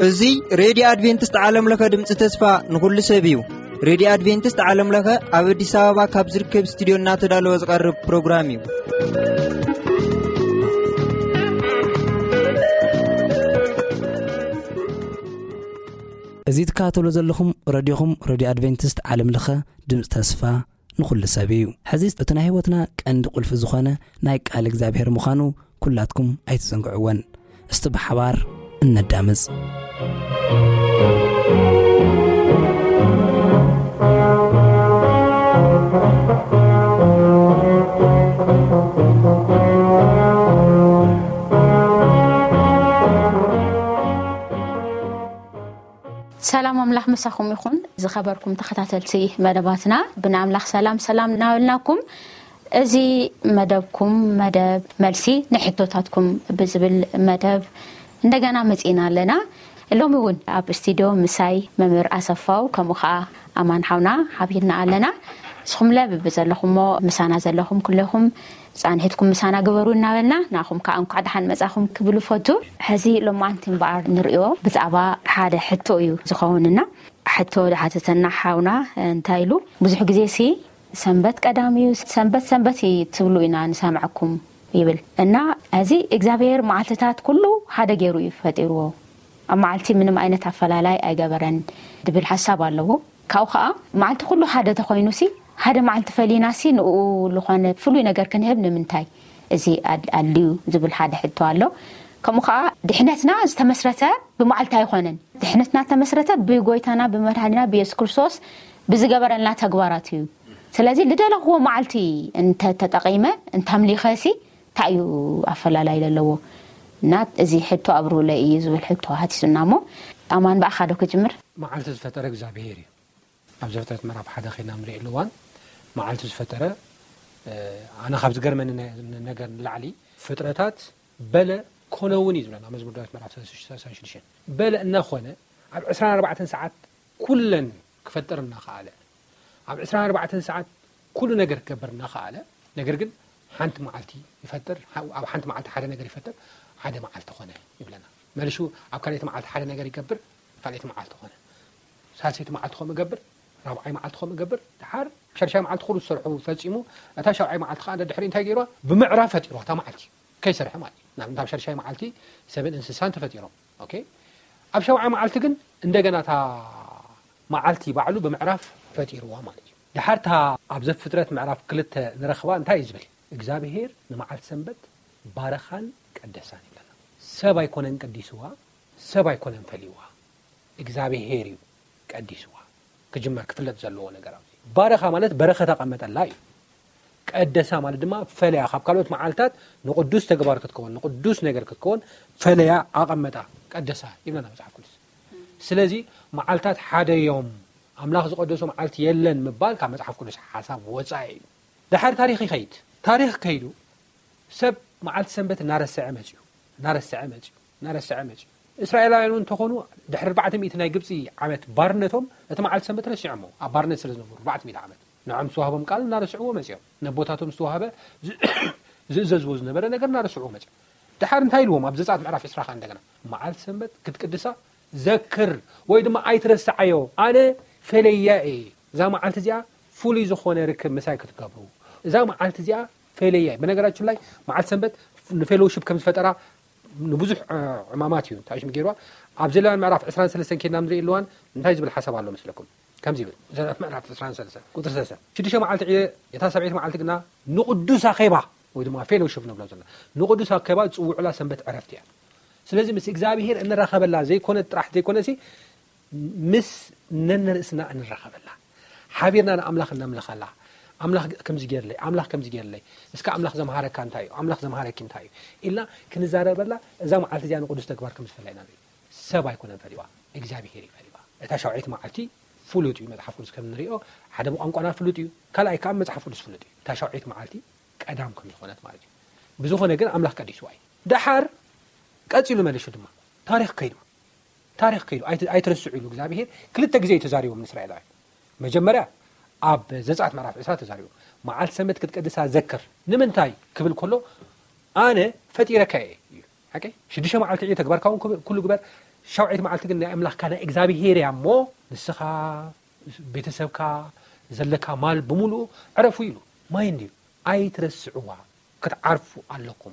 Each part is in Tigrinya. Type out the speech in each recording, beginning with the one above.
እዚ ሬድዮ ኣድቬንቲስት ዓለም ለኸ ድምፂ ተስፋ ንኹሉ ሰብ እዩ። ሬድዮ ኣድቬንቲስት ዓለም ለኸ ኣብ ኣዲስ ኣበባ ካብ ዝርከብ ስቱዲዮ እናተዳለወ ዝቐርብ ፕሮግራም እዩ። እዚ ትከታተሉ ዘለኹም ረድዮኹም ሬድዮ ኣድቬንቲስት ዓለም ለኸ ድምፂ ተስፋ ንኹሉ ሰብ እዩ። ሕዚ እቲ ናይ ህይወትና ቀንዲ ቁልፊ ዝኾነ ናይ ቃል እግዚኣብሔር ምዃኑ ኩላትኩም ኣይትዘንግዕወን። እስቲ ብሓባር እነዳምፅ። ሰላም ኣምላኽ ምሳኹም ይኹን። ዝኸበርኩም ተኸታተልቲ መደባትና፣ ብናምላኽ ሰላም ሰላም እናበልናኩም፣ እዚ መደብኩም፣ መደብ መልሲ ንሕቶታትኩም ብዝብል መደብ እንደገና መጺእና ኣለና። ሎሚ እውን ኣብ ስቱዲዮ ምሳይ መምህር ኣሰፋው፣ ከምኡ ኸዓ ኣማን ሓውና ሓቢርና ኣለና። ንስኹምለ ብብዘለኹሞ ምሳና ዘለኹም ኩለኹም ጻንሒትኩም ምሳና ግበሩ እናበልና፣ ንኣኹም ከኣ እንኳዕ ደሓን መጻኹም ክብል እፈቱ። ሕዚ ሎማዓንቲ እምበኣር ንርእዮ ብዛዕባ ሓደ ሕቶ እዩ ዝኸውንና። ሕቶ ዝሓተተና ሓውና እንታይ ኢሉ? ብዙሕ ግዜ ሲ ሰንበት ቀዳም እዩ፣ ሰንበት ሰንበት እዩ ትብሉ ኢና ንሰምዐኩም ይብል። እና እዚ እግዚኣብሔር መዓልትታት ኩሉ ሓደ ገይሩ እዩ ፈጢርዎ። ኣብ መዓልቲ ምንም ዓይነት ኣፈላላይ ኣይገበረን ድብል ሓሳብ ኣለዎ። ካብኡ ኸዓ መዓልቲ ኩሉ ሓደ ተኾይኑ ሲ ሓደ መዓልቲ ፈሊና ሲ ንኡ ዝኾነ ፍሉይ ነገር ክንህብ ንምንታይ እዚ ኣድ-፣ ኣድልዩ ዝብል ሓደ ሕቶ ኣሎ። ከምኡ ኸዓ ድሕነትና ዝተመስረተ ብመዓልቲ ኣይኾነን። ድሕነትና ዝተመስረተ ብጎይታና ብመድሓኒና ብየሱስ ክርስቶስ ብዝገበረልና ተግባራት እዩ። ስለዚ ልደለኽዎ መዓልቲ እንተ ተጠቒመ እንተ ኣምሊኸ ሲ እንታይ እዩ ኣፈላላይ ዘለዎ? እና እዚ ሕቶ ኣብርሁለይ እዩ ዝብል ሕቶ ሃቲሱና እሞ ኣማን ብኣኻ ዶ ክጅምር? መዓልቲ ዝፈጠረ እግዚኣብሔር እዩ። ኣብ ዘፍጥረት ምዕራፍ ሓደ ኸይድና ንሪኦ ኣለዋን መዓልቲ ዝፈጠረ፣ እ፣ ኣነ ካብ ዝገርመኒ ነ-፣ ነገር ንላዕሊ ፍጥረታት በለ ኮነ እውን እዩ ዝብለና መዝሙር ዳዊት ምዕራፍ ሰላሳ ሽዱሽተ። በለ እናኾነ ኣብ ዕስራን ኣርባዕተን ሰዓት ኩለን ክፈጥር እናኸኣለ፣ ኣብ ዕስራን ኣርባዕተን ሰዓት ኩሉ ነገር ክገብር እናኸኣለ፣ ነገር ግን ሓንቲ መዓልቲ ይፈጥር፣ ሓ-፣ ኣብ ሓንቲ መዓልቲ ሓደ ነገር ይፈጥር፣ ሓደ መዓልቲ ኾነ ይብለና። መልሹ ኣብ ካልኣይቲ መዓልቲ ሓደ ነገር ይገብር፣ ካልኣይቲ መዓልቲ ኾነ። ሳልሰይቲ መዓልቲ ከምኡ ገብር፣ ራብዓይ መዓልቲ ከምኡ ገብር፣ ድሓር ሸድሻይ መዓልቲ ኩሉ ዝሰርሑ ፈጺሙ፣ እታ ሻብዓይ መዓልቲ ከኣ ደድሕሪ እንታይ ገይርዋ? ብምዕራፍ ፈጢርዋ እታ መዓልቲ። ከይሰርሐ ማለት እዩ። ናብ፣ ናብ ሸድሻይ መዓልቲ ሰብን እንስሳን ተፈጢሮም። ኦኬ። ኣብ ሻብዓይ መዓልቲ ግን እንደገና እታ መዓልቲ ባዕሉ ብምዕራፍ ፈጢርዋ ማለት እዩ። ድሓር እታ ኣብ ዘፍጥረት ምዕራፍ ክልተ ንረኽባ እንታይ እዩ ዝብል? እግዚኣብሄር ንመዓልቲ ሰንበት ባረኻን ቀደሳን ይብለና። ሰብ ኣይኮነን ቀዲስዋ፣ ሰብ ኣይኮነን ፈሊዋ፣ እግዚኣብሄር እዩ ቀዲስዋ። ክጅመር ክፍለጥ ዘለዎ ነገር ኣብዚ። ባረኻ ማለት በረኸት ኣቐመጠላ እዩ። ቀደሳ ማለት ድማ ፈለያ፣ ካብ ካልኦት መዓልታት ንቕዱስ ተግባር ክትከውን፣ ንቕዱስ ነገር ክትከውን ፈለያ ኣቐመጣ፣ ቀደሳ ይብለና መጽሓፍ ቅዱስ። ስለዚ መዓልታት ሓደ እዮም፣ ኣምላኽ ዝቐደሶ መዓልቲ የለን ምባል ካብ መጽሓፍ ቅዱስ ሓሳብ ወጻኢ እዩ። ድሓር ታሪኽ ይኸይድ። ታሪኽ ከይዱ ሰብ መዓልቲ ሰንበት እናረስዐ መጽዩ፣ እናረስዐ መጽዩ፣ እናረስዐ መጽዩ። እስራኤላውያን እውን እንተኾኑ ድሕሪ ኣርባዕተ ሚእቲ ናይ ግብጺ ዓመት ባርነቶም እቲ መዓልቲ ሰንበት ረሲዖሞ፣ ኣብ ባርነት ስለ ዝነበሩ ኣርባዕተ ሚእቲ ዓመት። ንዖም ዝተዋህቦም ቃል እናረስዕዎ መጽዮም። ነቦታቶም ዝተዋህበ ዝ-፣ ዝእዘዝዎ ዝነበረ ነገር እናረስዕዎ መጽዮም። ድሓር እንታይ ኢልዎም? ኣብ ዘጸኣት ምዕራፍ ዕስራ ከኣ እንደገና፣ "መዓልቲ ሰንበት ክትቅድሳ ዘክር ወይ ድማ ኣይትረስዓዮ፣ ኣነ ፈለያ እየ። እዛ መዓልቲ እዚኣ ፍሉይ ዝኾነ ርክብ ምሳይ ክትገብሩ። እዛ መዓልቲ እዚኣ ፈለያ እየ።" በነገራችን ላይ መዓልቲ ሰንበት ንፌሎውሺፕ ከም ዝፈጠራ ንብዙሕ፣ እ፣ ዕማማት እዩ እንታይ ሽም ገይርዋ። ኣብ ዘሌዋውያን ምዕራፍ ዕስራን ሰለስተን ኬድና ንርኢ ኣለዋን እንታይ ዝብል ሓሳብ ኣሎ መስለኩም? ከምዚ ይብል፣ ዘሌዋውያን ምዕራፍ ዕስራን ሰለስተን ቁጽሪ ሰለስተ፣ "ሽዱሽተ መዓልቲ ዕየ፣ እታ ሰብዒት መዓልቲ ግና ንቕዱስ ኣኼባ ወይ ድማ ፌሎውሺፕ ንብሎ ዘለና ንቕዱስ ኣኼባ ዝጽውዑላ ሰንበት ዕረፍቲ እያ። ስለዚ ምስ እግዚኣብሄር እንራኸበላ ዘይኮነ ጥራሕ ዘይኮነሲ ምስ ነንርእስና እንራኸበላ፣ ሓቢርና ንኣምላኽ እነምልኸላ፣ ኣምላኽ ከምዚ ገይርለይ፣ ኣምላኽ ከምዚ ገይርለይ፣ እስከ ኣምላኽ ዘምሃረካ እንታይ እዩ? ኣምላኽ ዘምሃረኪ እንታይ እዩ? ኢልና ክንዛረበላ እዛ መዓልቲ እዚኣ ንቕዱስ ተግባር ከም ዝፈለየና ንርኢ። ሰብ ኣይኮነን ፈሊዋ፣ እግዚኣብሄር እዩ ፈሊዋ። እታ ሻውዓይቲ መዓልቲ ፍሉጥ እዩ፣ መጽሓፍ ቅዱስ ከም ንሪኦ ሓደ ብቋንቋና ፍሉጥ እዩ፣ ካልኣይ ከኣ መጽሓፍ ቅዱስ ፍሉጥ እዩ። እታ ሻውዓይቲ መዓልቲ ቀዳም ከም ዝኾነት ማለት እዩ። ብዝኾነ ግን ኣምላኽ ቀዲስዋ እዩ። ደሓር ቀጺሉ መሊሹ ድማ ታሪኽ ከይዱ፣ ታሪኽ ከይዱ፣ ኣይት-፣ ኣይትረስዑ ኢሉ እግዚኣብሄር ክልተ ግዜ እዩ ተዛሪቦም ንእስራኤላውያን። መጀመርያ ኣብ ዘጸኣት ምዕራፍ ዕስራ ተዛሪቦም፣ መዓልቲ ሰንበት ክትቀድሳ ዘክር። ንምንታይ ክብል ከሎ ኣነ ፈጢረካ እየ እዩ። ሓቂ ሽዱሽተ መዓልቲ እዩ ተግባርካ እውን ክብ- ኩሉ ግበር። ሻውዓይቲ መዓልቲ ግን ናይ ኣምላኽካ ናይ እግዚኣብሄር እያ እሞ ንስኻ ቤተሰብካ ዘለካ ማል ብምሉኡ ዕረፉ ኢሉ። ማይ እንድዩ ኣይትረስዕዋ ክትዓርፉ ኣለኩም።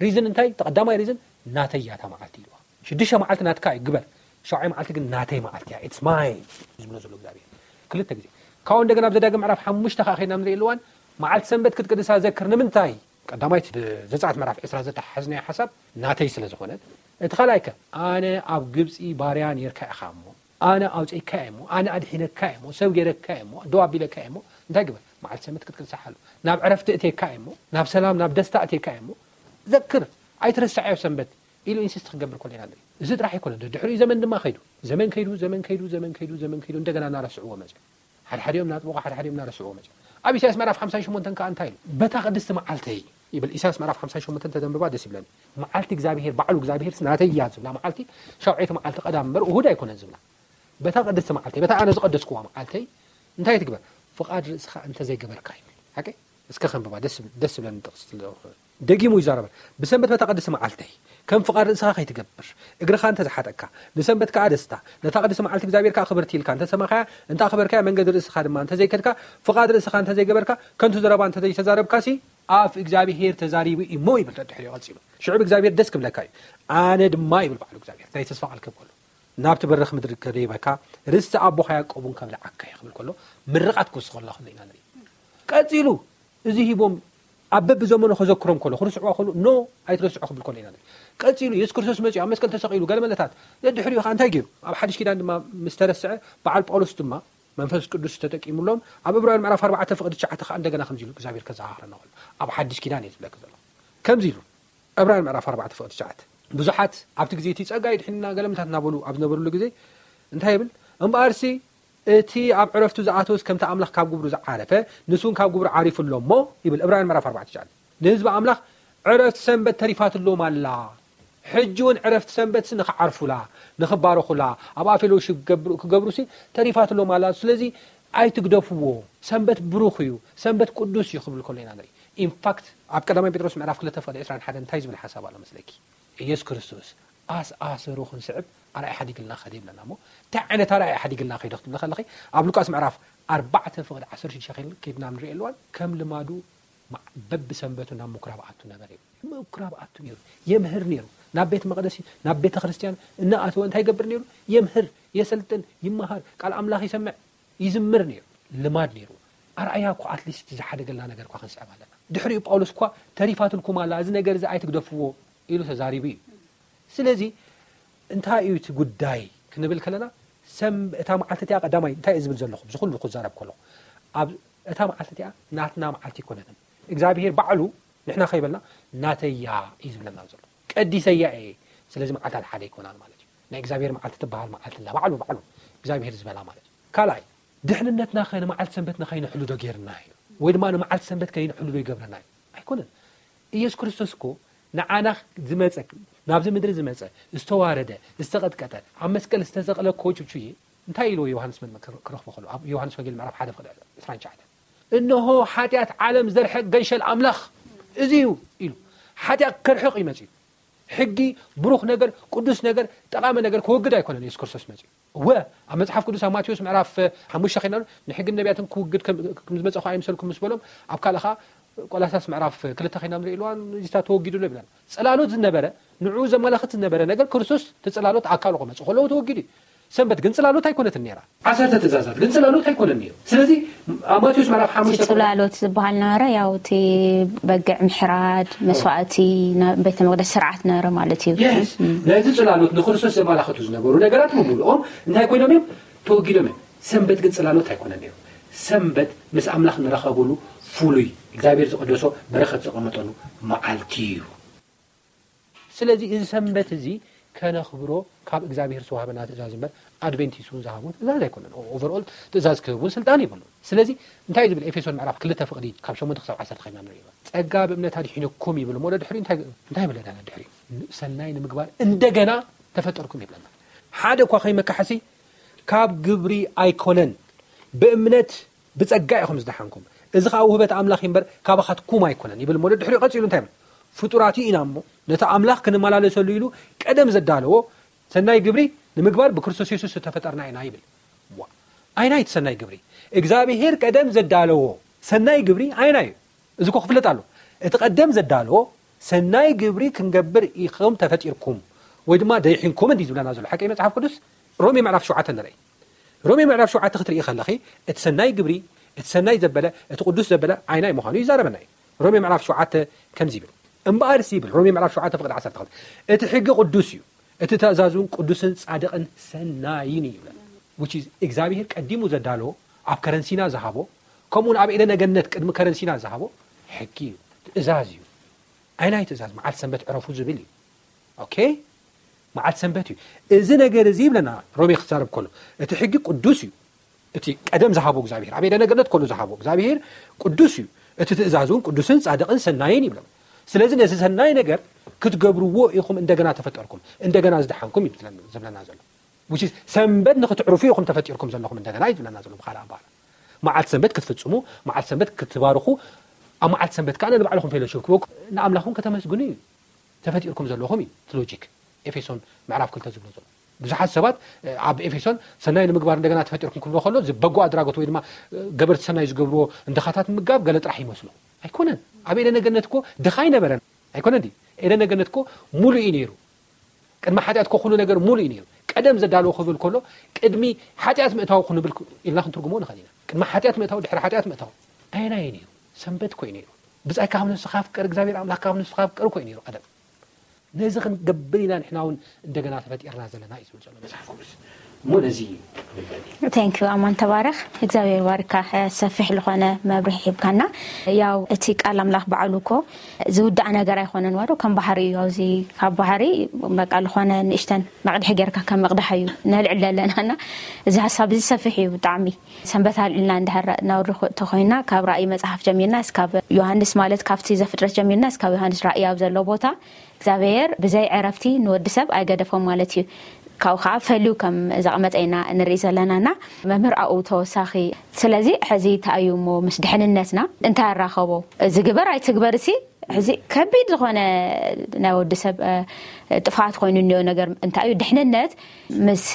ሪዝን እንታይ ተቐዳማይ ሪዝን ናተይ እያ እታ መዓልቲ ኢልዋ። ሽዱሽተ መዓልቲ ናትካ እዩ ግበር። ሻውዓይ መዓልቲ ግን ናተይ መዓልቲ እያ it's mine ዝብሎ ዘሎ እግዚኣብሄር። ክልተ ግዜ ካብኡ እንደገና ኣብ ዘዳግም ምዕራፍ ሓሙሽተ ከዓ ከይድና ንርኢ ኣለዋን መዓልቲ ሰንበት ክትቅድሳ ዘክር ንምንታይ ቀዳማይት ዘጻት ምዕራፍ ዕስራ ዘተሓዝናዮ ሓሳብ ናተይ ስለ ዝኾነት እቲ ካልኣይ ከ ኣነ ኣብ ግብፂ ባርያ ነርካ ኢኻ እሞ ኣነ ኣውፅእካ እየ እሞ ኣነ ኣድሒነካ እየ እሞ ሰብ ገይረካ እየ እሞ ደው ኣቢለካ እየ እሞ እንታይ ግበር መዓልቲ ሰንበት ክትቅድሳ ሓሉ ናብ ዕረፍቲ እቴካ እየ እሞ ናብ ሰላም ናብ ደስታ እቴካ እየ እሞ ዘክር ኣይትረስዓዮ ሰንበት ኢሉ ኢንሲስት ክገብር ከሎ ኢና ንርኢ። እዚ ጥራሕ ኣይኮነን ድሕሪኡ ዘመን ድማ ከይዱ ዘመን ከይዱ ዘመን ከይዱ ዘመን ከይዱ ዘመን ከይዱ እንደገና እናረስዕዎ መፅኡ። ሓድሓዲኦም እናጥበቑ ሓድሓዲኦም እናረስዕዎ መፅኡ። ኣብ ኢሳያስ ምዕራፍ ሓምሳን ሸሞንተን ከዓ እንታይ ኢሉ በታ ቅድስቲ መዓልተይ ይብል ኢሳያስ ምዕራፍ ሓምሳን ሸሞንተን ተደንብባ ደስ ይብለኒ። መዓልቲ እግዚኣብሄር ባዕሉ እግዚኣብሄር ናተይ እያ ዝብላ መዓልቲ ሻውዓይቲ መዓልቲ ቀዳም እምበር እሁድ ኣይኮነን ዝብላ። በታ ቅድስቲ መዓልተይ በታ ኣነ ዝቀደስክዋ መዓልተይ እንታይ ትግበር ፍቓድ ርእስኻ እንተዘይገበርካ ይብል ሓቂ እስከ ከንብባ ደስ ደስ ዝብለኒ ጥቕሲ ስለ ዝኾነ። ደጊሙ ይዛረበ ብሰንበት በታ ቅድስቲ መዓልተይ ከም ፍቓድ ርእስኻ ከይትገብር እግርኻ እንተዝሓጠካ ንሰንበት ከኣ ደስታ ነታ ቅድስቲ መዓልቲ እግዚኣብሔር ከኣ ክብርቲ ኢልካ እንተሰማኻያ እንተ ኣኽበርካያ መንገዲ ርእስኻ ድማ እንተዘይከድካ ፍቓድ ርእስኻ እንተዘይገበርካ ከንቱ ዘረባ እንተዘይተዛረብካሲ ኣፍ እግዚኣብሔር ተዛሪቡ እሞ ይብል ድሕሪኡ ቀጺሉ ሽዑ እግዚኣብሔር ደስ ክብለካ እዩ ኣነ ድማ ይብል በዓሉ እግዚኣብሔር ናይ ተስፋ ቃል ክህብ ከሎ ናብቲ በረኽ ምድሪ ከደይበካ ርስቲ ኣቦኻ ያዕቆብ እውን ከብልዓካ እየ ክብል ከሎ ምርቓት ክውስኸሉ ከሎ ኢና ንርኢ። ቀጺሉ እዚ ሂቦም ኣብ በብዘመኑ ከዘክሮም ከሎ ክርስዕዋ ከሉ ኖ ኣይትረስዑ ክብል ከሎ ኢና ንርኢ። ቀጺሉ የሱስ ክርስቶስ መጺኡ ኣብ መስቀል ተሰቒሉ ገለ መለታት ደድሕሪኡ ከዓ እንታይ ገይሩ ኣብ ሓድሽ ኪዳን ድማ ምስ ተረስዐ በዓል ጳውሎስ ድማ መንፈስ ቅዱስ ተጠቂሙሎም ኣብ ዕብራውያን ምዕራፍ ኣርባዕተ ፍቕዲ ትሽዓተ ከዓ እንደገና ከምዚ ኢሉ እግዚኣብሔር ከዘኻኽረና ከሎ ኣብ ሓድሽ ኪዳን እየ ዝብለካ ዘሎ ከምዚ ኢሉ ዕብራውያን ምዕራፍ ኣርባዕተ ፍቕዲ ትሽዓተ ብዙሓት ኣብቲ ግዜ እቲ ጸጋ ይድሕንና ገለምታት እናበሉ ኣብ ዝነበሩሉ ግዜ እንታይ ይብል እምበኣርሲ እቲ ኣብ ዕረፍቱ ዝኣተወስ ከምቲ ኣምላኽ ካብ ግብሩ ዝዓረፈ ንሱ እውን ካብ ግብሩ ዓሪፉ ኣሎ እሞ ይብል ዕብራውያን ምዕራፍ ኣርባዕተ ትሽዓተ ንህዝቢ ኣምላኽ ዕረፍቲ ሰንበት ተሪፋትሎም ኣላ ሕጂ እውን ዕረፍቲ ሰንበትሲ ንኽዓርፉላ ንኽባረኹላ ኣብኣ ፌሎውሺፕ ክገብሩሲ ተሪፋትሎም ኣላ ስለዚ ኣይትግደፍዎ ሰንበት ብሩኽ እዩ ሰንበት ቅዱስ እዩ ክብል ከሎ ኢና ንርኢ ኢንፋክት ኣብ ቀዳማይ ጴጥሮስ ምዕራፍ ክልተ ፍቕዲ ዕስራን ሓደን እንታይ ዝብል ሓሳብ ኣሎ መስለኪ ኢየሱስ ክርስቶስ ኣስ ኣሰሩ ክንስዕብ ኣርኣያ ሓዲግልና ኸደ ይብለና እሞ እንታይ ዓይነት ኣርኣያ ሓዲግልና ከይዶ ክትብለ ከለኺ ኣብ ሉቃስ ምዕራፍ ኣርባዕተ ፍቕዲ ዓሰርተ ሽዱሽተ ከይድና ንርኢ ኣለዋን ከም ልማዱ በብሰንበቱ ናብ ምኩራብ ኣቱ ነበረ ይብል ምኩራብ ኣቱ ነይሩ የምህር ነይሩ ናብ ቤት መቅደስ ናብ ቤተ ክርስቲያን እናኣተወ እንታይ ይገብር ነይሩ የምህር የሰልጥን ይመሃር ቃል ኣምላኽ ይሰምዕ ይዝምር ነይሩ ልማድ ነይሩ ኣርኣያ እኮ ኣትሊስት ዝሓደገልና ነገር እኳ ክንስዕብ ኣለና ድሕሪኡ ጳውሎስ እኳ ተሪፋትልኩም ኣላ እዚ ነገር እዚ ኣይትግደፍዎ ኢሉ ተዛሪቡ እዩ ስለዚ እንታይ እዩ እቲ ጉዳይ ክንብል ከለና ሰም እታ መዓልቲ እቲኣ ቀዳማይ እንታይ እዩ ዝብል ዘለኹ እዚ ኩሉ ክዛረብ ከለኹ ኣብ እታ መዓልቲ እቲኣ ናትና መዓልቲ ኣይኮነትን እግዚኣብሄር ባዕሉ ንሕና ከይበልና ናተያ እዩ ዝብለና ዘሎ ቀዲሰያ እየ ስለዚ መዓልታት ሓደ ኣይኮናን ማለት እዩ ናይ እግዚኣብሔር መዓልቲ ትበሃል መዓልቲ ኣላ ባዕሉ ባዕሉ እግዚኣብሔር ዝበላ ማለት እዩ ካልኣይ ድሕንነትና ከ ንመዓልቲ ሰንበት ንኸይንሕሉ ዶ ጌርና እዩ ወይ ድማ ንመዓልቲ ሰንበት ከይንሕሉ ዶ ይገብረና እዩ ኣይኮነን ኢየሱስ ክርስቶስ እኮ ንዓና ዝመፀ ናብዚ ምድሪ ዝመፀ ዝተዋረደ ዝተቐጥቀጠ ኣብ መስቀል ዝተሰቕለ እኮ ችብችዬ እንታይ ኢልዎ ዮሃንስ መጥምቅ ክረኽቦ ከሎ ኣብ ዮሃንስ ወንጌል ምዕራፍ ሓደ ፍቕዲ ዕስራን ትሽዓተን እንሆ ሓጢኣት ዓለም ዘርሕቕ ገንሸል ኣምላኽ እዚ እዩ ኢሉ ሓጢኣት ከርሕቕ እዩ መፅኡ ሕጊ ብሩኽ ነገር ቅዱስ ነገር ጠቓሚ ነገር ክወግድ ኣይኮነን የሱስ ክርስቶስ መፅኡ እወ ኣብ መፅሓፍ ቅዱስ ኣብ ማቴዎስ ምዕራፍ ሓሙሽተ ኸይና ንሕግን ነቢያትን ክውግድ ከም ዝመፀኹ ኣይምሰልኩም ምስ በሎም ኣብ ካልእ ኸዓ ቆላሳስ ምዕራፍ ክልተ ኸይና ንርኢ ኣለዋን እዚታ ተወጊዱ ኣሎ ይብለና ፅላሎት ዝነበረ ንዕኡ ዘመላኽት ዝነበረ ነገር ክርስቶስ እቲ ፅላሎት ኣካሉ ክመፅእ ከለዎ ተወጊዱ እዩ ሰንበት ግን ፅላሎት ኣይኮነትን ነይራ። ዓሰርተ ትእዛዛት ግን ፅላሎት ኣይኮነን ነይሩ። ስለዚ ኣብ ማቴዎስ ምዕራፍ እቲ ሓሙሽተ ፅላሎት ዝበሃል ነበረ ያው እቲ በግዕ ምሕራድ መስዋእቲ ቤተ መቅደስ ስርዓት ነበረ ማለት እዩ። የስ ናይቲ ፅላሎት ንክርስቶስ ዘመላኽቱ ዝነበሩ ነገራት ብምሉኦም እንታይ ኮይኖም እዮም? ተወጊዶም እዮም። ሰንበት ግን ፅላሎት ኣይኮነን ነይሩ። ሰንበት ምስ ኣምላኽ ንራኸበሉ ፍሉይ እግዚኣብሔር ዝቐደሶ በረኸት ዘቐመጠሉ መዓልቲ እዩ። ስለዚ እዚ ሰንበት እዚ ከነኽብሮ ካብ እግዚኣብሔር ዝተዋህበና ትእዛዝ እምበር ኣድቬንቲስት እውን ዝሃቦ ትእዛዝ ኣይኮነን። ኦቨርኦል ትእዛዝ ክህብ እውን ስልጣን የብሉን። ስለዚ እንታይ እዩ ዝብል ኤፌሶን ምዕራፍ ክልተ ፍቕዲ ካብ ሸሞንተ ክሳብ ዓሰርተ ኸይድና ንሪኦ። ጸጋ ብእምነት ኣድሒኑኩም ይብል እሞ ድሕሪኡ እንታይ እንታይ ይብለና ድሕሪኡ? ሰናይ ንምግባር እንደገና ተፈጠርኩም ይብለና። ሓደ እኳ ከይመካሕሲ ካብ ግብሪ ኣይኮነን ብእምነት ብጸጋ ኢኹም ዝደሓንኩም፣ እዚ ኸኣ ውህበት ኣምላኽ እምበር ካባኻትኩም ኣይኮነን ይብል እሞ፣ ድሕሪኡ ቀጺሉ እንታይ ይብል? ፍጡራት ኢና እሞ፣ ነቲ ኣምላኽ ክንመላለሰሉ ኢሉ ቀደም ዘዳለዎ ሰናይ ግብሪ ንምግባር ብክርስቶስ የሱስ ዝተፈጠርና ኢና ይብል። ዋ፣ ኣይናይ እቲ ሰናይ ግብሪ እግዚኣብሔር ቀደም ዘዳለዎ ሰናይ ግብሪ ኣይናይ እዩ። እዚ እኮ ክፍለጥ ኣሎ። እቲ ቀደም ዘዳለዎ ሰናይ ግብሪ ክንገብር ኢኹም ተፈጢርኩም ወይ ድማ ደይሒንኩም እንዲ ዝብለና ዘሎ ሓቂ መጽሓፍ ቅዱስ። ሮሜ ምዕራፍ ሸውዓተ ንርኢ። ሮሜ ምዕራፍ ሸውዓተ ክትርኢ ከለኺ፣ እቲ ሰናይ ግብሪ፣ እቲ ሰናይ ዘበለ፣ እቲ ቅዱስ ዘበለ ዓይናይ ምዃኑ ይዛረበና እዩ። ሮሜ ምዕራፍ ሸውዓተ ከምዚ ይብል። እምበኣርስ ይብል ሮሜ ምዕራፍ ሸውዓተ ፍቕዲ ዓሰርተ ክልተ፣ እቲ ሕጊ ቅዱስ እዩ፣ እቲ ትእዛዝ እውን ቅዱስን ጻድቕን ሰናይን እዩ ይብለና። Which is እግዚኣብሔር ቀዲሙ ዘዳለዎ፣ ኣብ ከረንሲና ዝሃቦ፣ ከምኡውን ኣብ ኤደነ ገነት ቅድሚ ከረንሲና ዝሃቦ ሕጊ እዩ፣ ትእዛዝ እዩ። ኣይናይ ትእዛዝ መዓልቲ ሰንበት ዕረፉ ዝብል እዩ። ኦኬ፣ መዓልቲ ሰንበት እዩ። እዚ ነገር እዚ ይብለና ሮሜ ክዛረብ ከሎ፣ እቲ ሕጊ ቅዱስ እዩ። እቲ ቀደም ዝሃቦ እግዚኣብሔር፣ ኣብ ኤደነ ገነት ከሎ ዝሃቦ እግዚኣብሔር ቅዱስ እዩ። እቲ ትእዛዝ እውን ቅዱስን ጻድቕን ሰናይን ይብለና። ስለዚ ነዚ ሰናይ ነገር ክትገብርዎ ኢኹም እንደገና ተፈጠርኩም፣ እንደገና ዝደሓንኩም እዩ ዝብለና፣ ዝብለና ዘሎ። Which is ሰንበት ንክትዕርፉ ኢኹም ተፈጢርኩም ዘለኹም እንደገና እዩ ዝብለና ዘሎ። ብኻልእ ኣባህላ መዓልቲ ሰንበት ክትፍጽሙ፣ መዓልቲ ሰንበት ክትባርኹ፣ ኣብ መዓልቲ ሰንበት ከኣ ንባዕልኹም ፌሎሺፕ ክበኩም፣ ንኣምላኽኩም ከተመስግኑ እዩ ተፈጢርኩም ዘለኹም እዩ እቲ ሎጂክ። ኤፌሶን ምዕራፍ ክልተ ዝብሎ ዘሎ። ብዙሓት ሰባት፣ እ፣ ኣብ ኤፌሶን ሰናይ ንምግባር እንደገና ተፈጢርኩም ክብሎ ከሎ፣ እዚ በጎ ኣድራጎት ወይ ድማ፣ እ፣ ገበርቲ ሰናይ ዝገብርዎ እንድኻታት ምምጋብ ገለ ጥራሕ ይመስሎ። ኣይኮነን። ኣብ ኤደነ ገነት እኮ ድኻ ኣይነበረን። ኣይኮነን ድዩ? ኤደነ ገነት እኮ ሙሉእ እዩ ነይሩ። ቅድሚ ሓጢኣት እኮ ኩሉ ነገር ሙሉእ እዩ ነይሩ። ቀደም ዘዳለዎ ክብል ከሎ፣ ቅድሚ ሓጢኣት ምእታው ክንብል ክ-፣ ኢልና ክንትርጉሞ ንኽእል ኢና። ቅድሚ ሓጢኣት ምእታው፣ ድሕሪ ሓጢኣት ምእታው። ኣየናይ እዩ ነይሩ? ሰንበት እኮ እዩ ነይሩ። ብጻይ ካብ ነፍስኻ ፍቀር፣ እግዚኣብሔር ኣምላኽ ካብ ነፍስኻ ፍቀር እኮ እዩ ነይሩ ቀደም። ነዚ ክንገብር ኢና ንሕና እውን እንደገና ተፈጢርና ዘለና እዩ ዝብል ዘሎ መጽሓፍ ቅዱስ። እሞ ነዚ እዩ። ቴንክ ዩ ኣማን፣ ተባረኽ። እግዚኣብሔር ባርካ። ሰፊሕ ዝኾነ መብርሂ ሂብካና። ያው እቲ ቃል ኣምላኽ ባዕሉ እኮ ዝውዳእ ነገር ኣይኮነን ዋዶ፣ ከም ባሕሪ እዩ። ኣብዚ ካብ ባሕሪ በቃ ዝኾነ ንእሽተን መቕድሒ ጌርካ ከም ምቕዳሕ እዩ ነልዕል ዘለና። እና እዚ ሓሳብ እዚ ሰፊሕ እዩ ብጣዕሚ። ሰንበት ኣልዕልና እንድሕር ነውሪ ተኮይና፣ ካብ ራእይ መጽሓፍ ጀሚርና እስካብ ዮሃንስ፣ ማለት ካብቲ ዘፍጥረት ጀሚርና እስካብ ዮሃንስ ራእይ ኣብ ዘሎ ቦታ እግዚኣብሔር ብዘይ ዕረፍቲ ንወዲ ሰብ ኣይገደፎም ማለት እዩ። ካብኡ ከዓ ፈልዩ ከም ዘቐመጠ ኢና ንርኢ ዘለና። እና መምህር ኣብኡ ተወሳኺ፣ ስለዚ ሕዚ እንታይ እዩ እሞ ምስ ድሕንነትና እንታይ ኣራኸቦ? እዚ ግበር ኣይትግበር ሲ ሕዚ ከቢድ ዝኾነ ናይ ወዲ ሰብ፣ እ፣ ጥፍኣት ኮይኑ እኒኦ ነገር እንታይ እዩ? ድሕንነት ምስ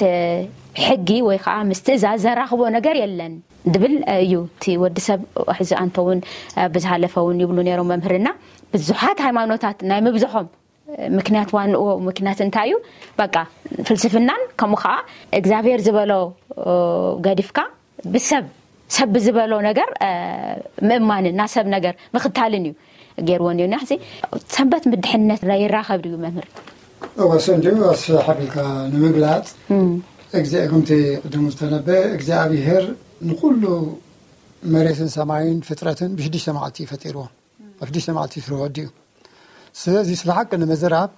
ሕጊ ወይ ከዓ ምስ ትእዛዝ ዘራኽቦ ነገር የለን ድብል እዩ። እቲ ወዲ ሰብ ሕዚ ኣንተ እውን፣ እ፣ ብዝሃለፈ እውን ይብሉ ነይሮም መምህርና፣ ብዙሓት ሃይማኖታት ናይ ምብዝሖም ምክንያት ዋንኡ ምክንያት እንታይ እዩ? በቃ ፍልስፍናን ከምኡ ከዓ እግዚኣብሔር ዝበሎ፣ እ፣ ገዲፍካ ብሰብ፣ ሰብ ብዝበሎ ነገር፣ እ፣ ምእማንን ናብ ሰብ ነገር ምኽታልን እዩ ገይርዎ ነይሩ። ሕዚ ሰንበት ምድሕነት ይራኸብ ድዩ መምህር? እወ፣ ሰንድዩ ኣስፍሕ ኣቢልካ ንምግላጽ፣ እም። እግዚ-፣ ከምቲ ቅድም ዝተነበ እግዚኣብሔር ንኩሉ መሬትን ሰማይን ፍጥረትን ብሽዱሽተ መዓልቲ እዩ ፈጢርዎ። ኣብ ሽዱሽተ መዓልቲ ስርሑ ወዲኡ። ስለዚ ስለ ሓቂ ንምዝራብ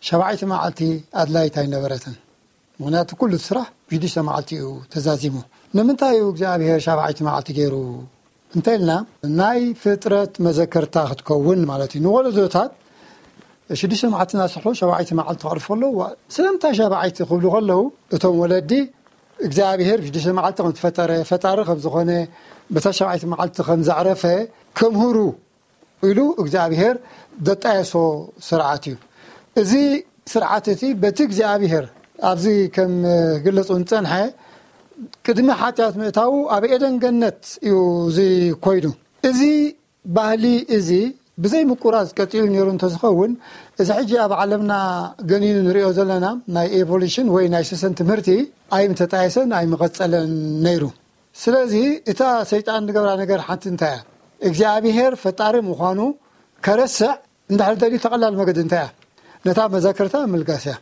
ሻብዓይቲ መዓልቲ ኣድላይት ኣይነበረትን። ምኽንያቱ ኩሉ እቲ ስራሕ ብሽዱሽተ መዓልቲ እዩ ተዛዚሙ። ንምንታይ እዩ እግዚኣብሔር ሻብዓይቲ መዓልቲ ገይሩ እንተኢልና፣ ናይ ፍጥረት መዘከርታ ክትከውን ማለት እዩ። ንወለዶታት ሽዱሽተ መዓልቲ እናሰርሑ ሻብዓይቲ መዓልቲ ከዕርፉ ከለዉ፣ ስለምንታይ ሻብዓይቲ ክብሉ ከለዉ፣ እቶም ወለዲ እግዚኣብሔር ሽዱሽተ መዓልቲ ከም ዝፈጠረ፣ ፈጣሪ ከም ዝኾነ፣ በታ ሻብዓይቲ መዓልቲ ከም ዘዕረፈ ከምህሩ ኢሉ እግዚኣብሔር ዘጣየሶ ስርዓት እዩ። እዚ ስርዓት እቲ በቲ እግዚኣብሔር ኣብዚ ከም ክግለጽ ዝጸንሐ ቅድሚ ሓጢኣት ምእታዉ ኣብ ኤደን ገነት እዩ እዚ ኮይኑ። እዚ ባህሊ እዚ ብዘይ ምቁራጽ ቀጺሉ ነይሩ እንተዝኸውን፣ እዚ ሕጂ ኣብ ዓለምና ገኒኑ ንሪኦ ዘለና ናይ ኤቮሉሽን ወይ ናይ ሰሰን ትምህርቲ ኣይምተጣየሰን ኣይምቐጸለን ነይሩ። ስለዚ እታ ሰይጣን ዝገብራ ነገር ሓንቲ እንታይ እያ? እግዚኣብሔር ፈጣሪ ምዃኑ ከረስዕ እንድሕር ደልዩ ተቐላል መገዲ እንታይ እያ? ነታ መዘክርታ ምልጋስ እያ።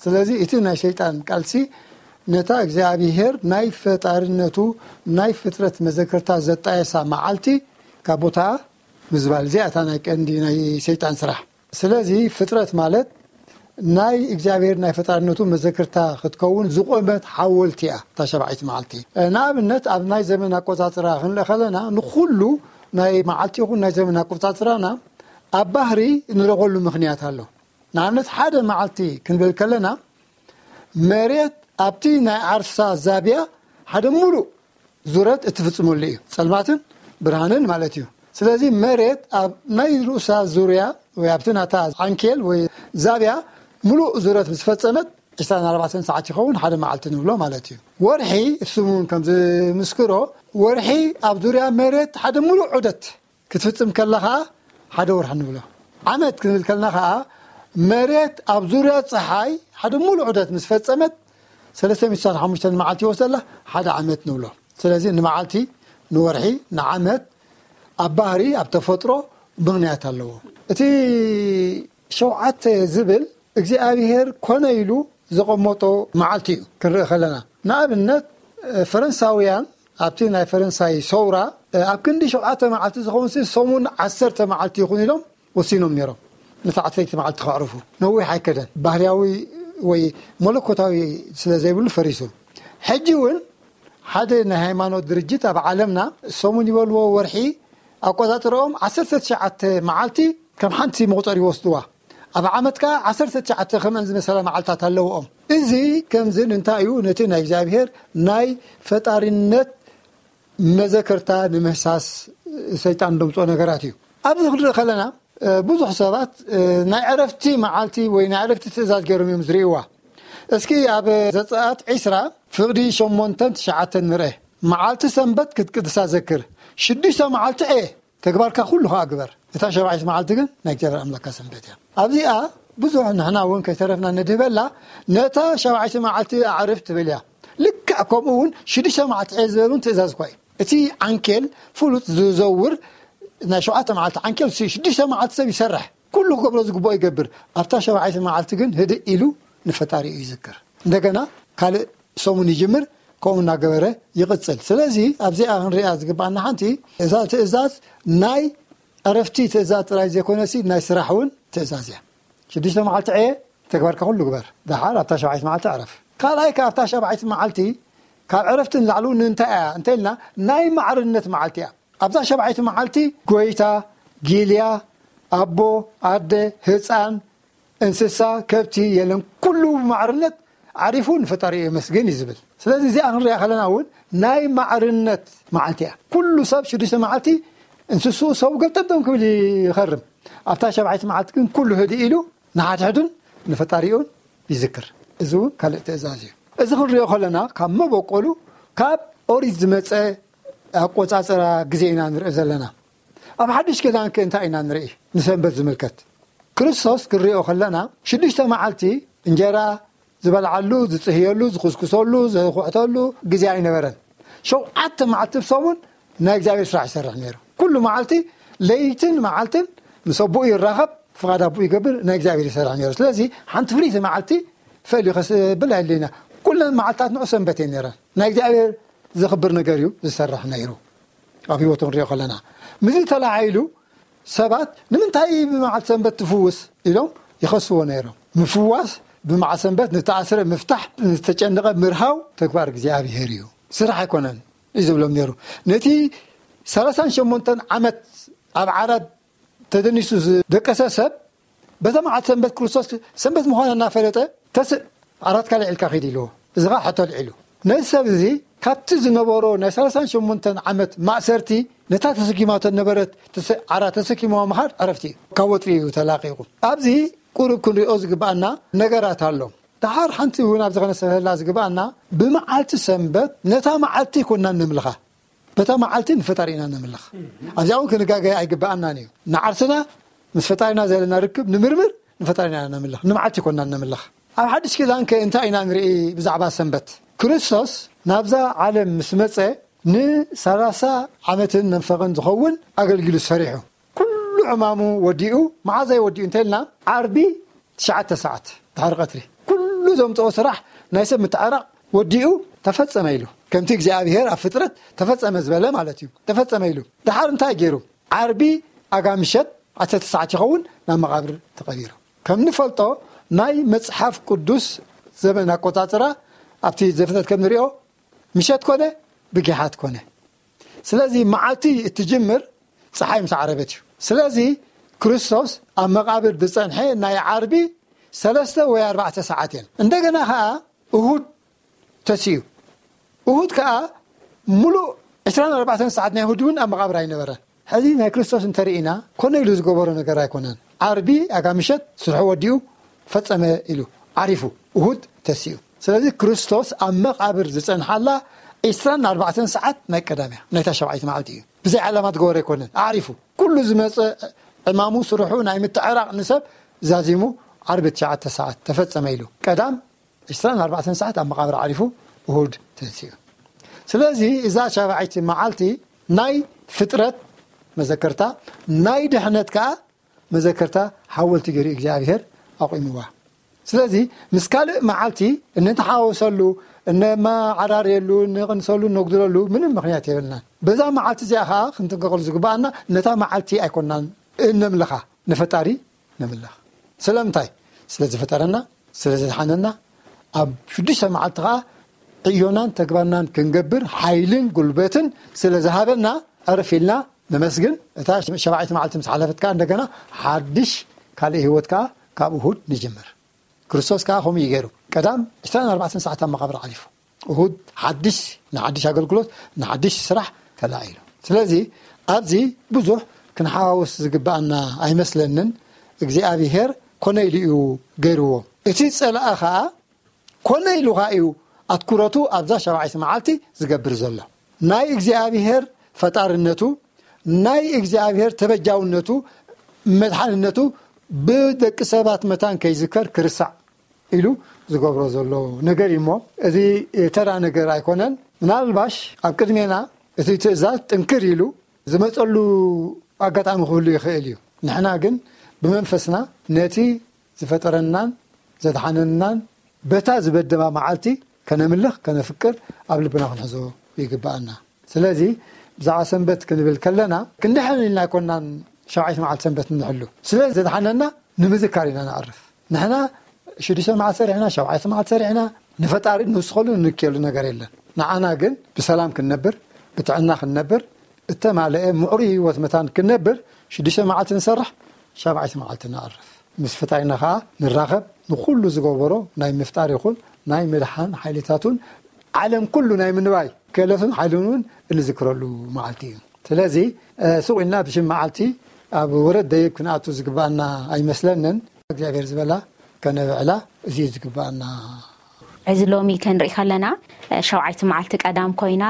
ስለዚ እቲ ናይ ሰይጣን ቃልሲ ነታ እግዚኣብሔር ናይ ፈጣርነቱ ናይ ፍጥረት መዘክርታ ዘጣየሳ መዓልቲ ካብ ቦታኣ ምዝባል፣ እዚኣ እታ ናይ ቀንዲ ናይ ሰይጣን ስራሕ። ስለዚ ፍጥረት ማለት ናይ እግዚኣብሔር ናይ ፈጣርነቱ መዘክርታ ክትከውን ዝቆመት ሓወልቲ እያ እታ ሸባዒት መዓልቲ። ንኣብነት ኣብ ናይ ዘመን ኣቆጻጽራ ክንርኢ ከለና ንኩሉ ናይ መዓልቲ ይኹን ናይ ዘመን ኣቆጻጽራና ኣብ ባህሪ ንረኸሉ ምኽንያት ኣሎ። ንኣብነት ሓደ መዓልቲ ክንብል ከለና መሬት ኣብቲ ናይ ዓርሳ ዛብያ ሓደ ሙሉእ ዙረት እትፍጽመሉ እዩ። ጸልማትን ብርሃንን ማለት እዩ። ስለዚ መሬት ኣብ ናይ ርእሳ ዙርያ ወይ ኣብቲ ናታ ዓንኬል ወይ ዛብያ ምሉእ ዙረት ምስ ፈጸመት ዕስራን ኣርባዕተን ሰዓት ይኸውን፣ ሓደ መዓልቲ ንብሎ ማለት እዩ። ወርሒ፣ እሱም እውን ከም ዝምስክሮ፣ ወርሒ ኣብ ዙርያ መሬት ሓደ ምሉእ ዑደት ክትፍጽም ከላ ኸዓ ሓደ ወርሒ ንብሎ። ዓመት ክንብል ከልና ኸዓ መሬት ኣብ ዙርያ ፀሓይ ሓደ ሙሉእ ዑደት ምስ ፈጸመት ሰለስተ ሚእቲ ሓሙሽተ መዓልቲ ይወስደላ፣ ሓደ ዓመት ንብሎ። ስለዚ ንመዓልቲ፣ ንወርሒ፣ ንዓመት ኣብ ባህሪ፣ ኣብ ተፈጥሮ ምኽንያት ኣለዎ። እቲ ሸውዓተ ዝብል እግዚኣብሔር ኮነ ኢሉ ዘቐመጦ መዓልቲ እዩ ክንርኢ ከለና። ንኣብነት ፈረንሳውያን ኣብቲ ናይ ፈረንሳይ ሰውራ ኣብ ክንዲ ሸውዓተ መዓልቲ ዝኸውን ሲ ሰሙን ዓሰርተ መዓልቲ ይኹን ኢሎም ወሲኖም ነይሮም። ነታ ዓሰርተ መዓልቲ ከዕርፉ ነዊሕ ኣይከደን። ባህርያዊ ወይ መለኮታዊ ስለ ዘይብሉ ፈሪሱ። ሕጂ እውን ሓደ ናይ ሃይማኖት ድርጅት ኣብ ዓለምና ሰሙን ይበልዎ፣ ወርሒ ኣቆጻጽርኦም ዓሰርተ ትሽዓተ መዓልቲ ከም ሓንቲ መቑጸር ይወስድዋ። ኣብ ዓመት ከኣ ዓሰርተ ትሽዓተ ከምአን ዝመሰላ መዓልታት ኣለውኦም። እዚ ከምዚ ንምንታይ እዩ? ነቲ ናይ እግዚኣብሔር ናይ ፈጣሪነት መዘከርታ ንምህሳስ ሰይጣን ደምጾ ነገራት እዩ። ኣብዚ ክንርኢ ከለና ብዙሕ ሰባት ናይ ዕረፍቲ መዓልቲ ወይ ናይ ዕረፍቲ ትእዛዝ ገይሮም እዮም ዝርእይዋ። እስኪ ኣብ ዘጸኣት ዒስራ ፍቕዲ ሸሞንተን ትሽዓተን ንርአ። መዓልቲ ሰንበት ክትቅድሳ ዘክር። ሽዱሽተ መዓልቲ ዕየ፣ ተግባርካ ኩሉ ኸኣ ግበር። እታ ሸባዒት መዓልቲ ግን ናይ እግዚኣብሔር ኣምላካ ሰንበት እያ። ኣብዚኣ ብዙሕ ንሕና እውን ከይተረፍና ንድህበላ፣ ነታ ሸባዒት መዓልቲ ኣዕርፍ ትብል እያ። ልክዕ ከምኡ እውን ሽዱሽተ መዓልቲ ዕየ ዝበሉን ትእዛዝ እኳ እዩ። እቲ ዓንኬል ፍሉጥ ዝዘውር ናይ ሸውዓተ መዓልቲ ዓንኬል ሲ ሽዱሽተ መዓልቲ ሰብ ይሰርሕ፣ ኩሉ ክገብሮ ዝግብኦ ይገብር። ኣብታ ሸባዒት መዓልቲ ግን ህድእ ኢሉ ንፈጣሪ እዩ ይዝክር። እንደገና ካልእ ሰሙን ይጅምር፣ ከምኡ እናገበረ ይቕጽል። ስለዚ ኣብዚኣ ክንሪኣ ዝግባኣና ሓንቲ እዛ ትእዛዝ ናይ ዕረፍቲ ትእዛዝ ጥራይ ዘይኮነሲ ናይ ስራሕ እውን ትእዛዝ እያ። ሽዱሽተ መዓልቲ ዕየ፣ ተግባርካ ኩሉ ግበር፣ ደሓር ኣብታ ሸባዒት መዓልቲ ዕረፍ። ካልኣይ ከኣ ኣብታ ሸባዒት መዓልቲ ካብ ዕረፍቲ ንላዕሊ እውን እንታይ እያ እንተልና ናይ ማዕርነት መዓልቲ እያ። ኣብዛ ሸባዒት መዓልቲ ጎይታ፣ ጊልያ፣ ኣቦ፣ ኣደ፣ ህፃን፣ እንስሳ፣ ከብቲ የለን፣ ኩሉ ብማዕርነት ዓሪፉ ንፈጣሪ የመስግን እዩ ዝብል። ስለዚ እዚኣ ክንሪኣ ከለና እውን ናይ ማዕርነት መዓልቲ እያ። ኩሉ ሰብ ሽዱሽተ መዓልቲ እንስስኡ ሰቡ ገልጠምጠም ክብል ይኸርም። ኣብታ ሸባዒት መዓልቲ ግን ኩሉ ህድእ ኢሉ ንሓድሕዱን ንፈጣሪኡን ይዝክር። እዚ እውን ካልእ ትእዛዝ እዩ። እዚ ክንሪኦ ከለና ካብ መበቆሉ ካብ ኦሪት ዝመፀ ኣቆፃፅራ ግዜ ኢና ንርኢ ዘለና። ኣብ ሓድሽ ኪዳን ከ እንታይ ኢና ንርኢ? ንሰንበት ዝምልከት ክርስቶስ ክንሪኦ ከለና ሽዱሽተ መዓልቲ እንጀራ ዝበልዓሉ፣ ዝፅህየሉ፣ ዝኹስኩሰሉ፣ ዝኹሕተሉ ግዜ ኣይነበረን። ሸውዓተ መዓልቲ ብሰሙን ናይ እግዚኣብሔር ስራሕ ይሰርሕ ነይሩ። ኩሉ መዓልቲ ለይትን መዓልትን ምስ ኣቦኡ ይራኸብ፣ ፍቓድ ኣቦኡ ይገብር፣ ናይ እግዚኣብሔር ይሰርሕ ነይሩ። ስለዚ ሓንቲ ፍልይቲ መዓልቲ ፈልዩ ከስብል ኣይድለና። ኩለን መዓልታት ንዑ ሰንበት እየን ነይረን። ናይ እግዚኣብሔር ዘኽብር ነገር እዩ ዝሰርሕ ነይሩ። ኣብ ህይወቱ ንሪኦ ከለና ምስዚ ተላዓኢሉ ሰባት ንምንታይ ብመዓልቲ ሰንበት ትፍውስ ኢሎም ይኸስዎ ነይሮም። ምፍዋስ ብመዓልቲ ሰንበት ንተኣስረ ምፍታሕ፣ ንዝተጨነቐ ምርሃው ተግባር እግዚኣብሔር እዩ፣ ስራሕ ኣይኮነን እዩ ዝብሎም ነይሩ። ነቲ ሰላሳን ሸሞንተን ዓመት ኣብ ዓራት ተደኒሱ ዝደቀሰ ሰብ በዛ መዓልቲ ሰንበት ክርስቶስ ሰንበት ምዃና እናፈለጠ ተስእ ዓራትካ ልዒልካ ኺድ ኢልዎ። እዚ ኸዓ ሕቶ ኣልዒሉ። ነዚ ሰብ እዚ ካብቲ ዝነበሮ ናይ ሰላሳን ሸሞንተን ዓመት ማእሰርቲ ነታ ተሰኪማቶ ነበረት ተስ-፣ ዓራት ተሰኪምዋ ምኻድ ዕረፍቲ እዩ። ካብ ወጥሪ እዩ ተላቒቑ። ኣብዚ ቁሩብ ክንሪኦ ዝግብኣና ነገራት ኣሎ። ደሓር ሓንቲ እውን ኣብዚ ኸነስተብህላ ዝግብኣና ብመዓልቲ ሰንበት ነታ መዓልቲ ኣይኮናን ነምልኻ። በታ መዓልቲ ንፈጣሪና ነምልኽ። ኣብዚኣ እውን ክንጋገ ኣይግብኣናን እዩ። ንዓርስና ምስ ፈጣሪና ዘለና ርክብ ንምርምር ንፈጣሪና ነምልኽ። ንመዓልቲ ኣይኮናን ነምልኽ። ኣብ ሓድሽ ኪዳን ከ እንታይ ኢና ንርኢ ብዛዕባ ሰንበት? ክርስቶስ ናብዛ ዓለም ምስ መጸ ንሰላሳ ዓመትን መንፈቕን ዝኸውን ኣገልጊሉ ሰሪሑ። ኩሉ ዕማሙ ወዲኡ። መዓዘ ወዲኡ እንተልና ዓርቢ ትሽዓተ ሰዓት ድሕሪ ቀትሪ። ኩሉ ዘምጽኦ ስራሕ ናይ ሰብ ምትዕራቕ ወዲኡ ተፈጸመ ኢሉ። ከምቲ እግዚኣብሔር ኣብ ፍጥረት ተፈጸመ ዝበለ ማለት እዩ። ተፈጸመ ኢሉ። ድሓር እንታይ ገይሩ? ዓርቢ ኣጋ ምሸት ዓሰርተ ሰዓት ይኸውን ናብ መቓብር ተቐቢሩ። ከም ንፈልጦ ናይ መጽሓፍ ቅዱስ ዘመን ኣቆጻጽራ ኣብቲ ዘፍጥረት ከም ንሪኦ ምሸት ኮነ ብጊሓት ኮነ። ስለዚ መዓልቲ እትጅምር ፀሓይ ምስ ዓረበት እዩ። ስለዚ ክርስቶስ ኣብ መቓብር ዝፀንሐ ናይ ዓርቢ ሰለስተ ወይ ኣርባዕተ ሰዓት እየን። እንደገና ከዓ እሁድ ተሲኡ። እሁድ ከዓ ሙሉእ ዕስራን ኣርባዕተን ሰዓት ናይ እሁድ እውን ኣብ መቓብር ኣይነበረን። ሕዚ ናይ ክርስቶስ እንተርኢና፣ ኮነ ኢሉ ዝገበሮ ነገር ኣይኮነን። ዓርቢ ኣጋ ምሸት ስርሑ ወዲኡ ፈጸመ ኢሉ ዓሪፉ፣ እሁድ ተሲኡ። ስለዚ ክርስቶስ ኣብ መቓብር ዝጸንሓላ ዕስራን ኣርባዕተን ሰዓት ናይ ቀዳም እያ፣ ናይታ ሸብዓይቲ መዓልቲ እዩ። ብዘይ ዓላማ ዝገበሮ ኣይኮነን፣ ኣዕሪፉ። ኩሉ ዝመጸ ዕማሙ፣ ስርሑ ናይ ምትዕራቕ ንሰብ ዛዚሙ፣ ዓርቢ ትሽዓተ ሰዓት ተፈጸመ ኢሉ ቀዳም ዕስራን ኣርባዕተን ሰዓት ኣብ መቓብር ዓሪፉ፣ እሁድ ተንሲኡ። ስለዚ እዛ ሻብዓይቲ መዓልቲ ናይ ፍጥረት መዘከርታ፣ ናይ ድሕነት ከኣ መዘከርታ ሓወልቲ ገይሩ እግዚኣብሔር ኣቑምዋ። ስለዚ ምስ ካልእ መዓልቲ እንተሓወሰሉ፣ እነመዓራርየሉ፣ እንቕንሰሉ፣ እነጉድለሉ ምንም ምኽንያት የብልናን። በዛ መዓልቲ እዚኣ ኸዓ ክንጥንቀቐሉ ዝግብኣና፣ ነታ መዓልቲ ኣይኮናን እነምልኻ፣ ንፈጣሪ ነምልኽ። ስለምንታይ? ስለ ዝፈጠረና፣ ስለ ዘድሓነና፣ ኣብ ሽዱሽተ መዓልቲ ኸዓ ዕዮናን ተግባርናን ክንገብር ሓይልን ጉልበትን ስለ ዝሃበና፣ ዕርፍ ኢልና ነመስግን። እታ ሸብዓይቲ መዓልቲ ምስ ሓለፈት ከኣ እንደገና ሓድሽ ካልእ ህይወት ከኣ ካብ እሁድ ንጅምር። ክርስቶስ ከኣ ከምኡ እዩ ገይሩ። ቀዳም ዕስራን ኣርባዕተን ሰዓት ኣብ መቓብር ዓሊፉ። እሁድ ሓድሽ፣ ንሓድሽ ኣገልግሎት፣ ንሓድሽ ስራሕ ተላዒሉ። ስለዚ ኣብዚ ብዙሕ ክንሓዋውስ ዝግብኣና ኣይመስለንን። እግዚኣብሄር ኮነ ኢሉ እዩ ገይርዎ። እቲ ጸላኢ ኸኣ ኮነ ኢሉ ኸኣ እዩ ኣትኩረቱ ኣብዛ ሻብዓይቲ መዓልቲ ዝገብር ዘሎ። ናይ እግዚኣብሄር ፈጣርነቱ፣ ናይ እግዚኣብሄር ተበጃውነቱ፣ መድሓንነቱ ብደቂ ሰባት መታን ከይዝከር፣ ክርስዕ ኢሉ ዝገብሮ ዘሎ ነገር እዩ እሞ፣ እዚ ተራ ነገር ኣይኮነን። ምናልባሽ ኣብ ቅድሜና እቲ ትእዛዝ ጥንክር ኢሉ ዝመጸሉ ኣጋጣሚ ክህሉ ይኽእል እዩ። ንሕና ግን ብመንፈስና ነቲ ዝፈጠረናን ዘድሓነናን በታ ዝበደማ መዓልቲ ከነምልኽ፣ ከነፍቅር፣ ኣብ ልብና ክንሕዞ ይግብኣና። ስለዚ ብዛዕባ ሰንበት ክንብል ከለና፣ ክንድሕን ኢልና ኣይኮናን ሸብዓይቲ መዓልቲ ሰንበት እንሕሉ። ስለ ዘድሓነና ንምዝካር ኢና ንዕርፍ። ንሕና ሽዱሽተ መዓልቲ ሰሪሕና፣ ሸብዓይቲ መዓልቲ ሰሪሕና፣ ንፈጣሪ ንውስኸሉ፣ ንንክየሉ ነገር የለን። ንዓና ግን ብሰላም ክንነብር፣ ብጥዕና ክንነብር፣ እተማልአ ምዕሩይ ህይወት መታን ክንነብር፣ ሽዱሽተ መዓልቲ ንሰርሕ፣ ሸብዓይቲ መዓልቲ ንዕርፍ። ምስ ፈጣሪና ኸዓ ንራኸብ። ንኹሉ ዝገበሮ ናይ ምፍጣር ይኹን ናይ ምድሓን ሓይልታቱን ዓለም ኩሉ ናይ ምንባይ ክእለቱን ሓይሉን እውን እንዝክረሉ መዓልቲ እዩ። ስለዚ፣ እ፣ ስቕ ኢልና ብሽም መዓልቲ ኣብ ወረድ ደይብ ክንኣቱ ዝግብኣና ኣይመስለንን። እግዚኣብሔር ዝበላ ከነብዕላ፣ እዚ እዩ ዝግብኣና። እዚ ሎሚ ክንርኢ ከለና፣ እ፣ ሸውዓይቲ መዓልቲ ቀዳም ኮይና፣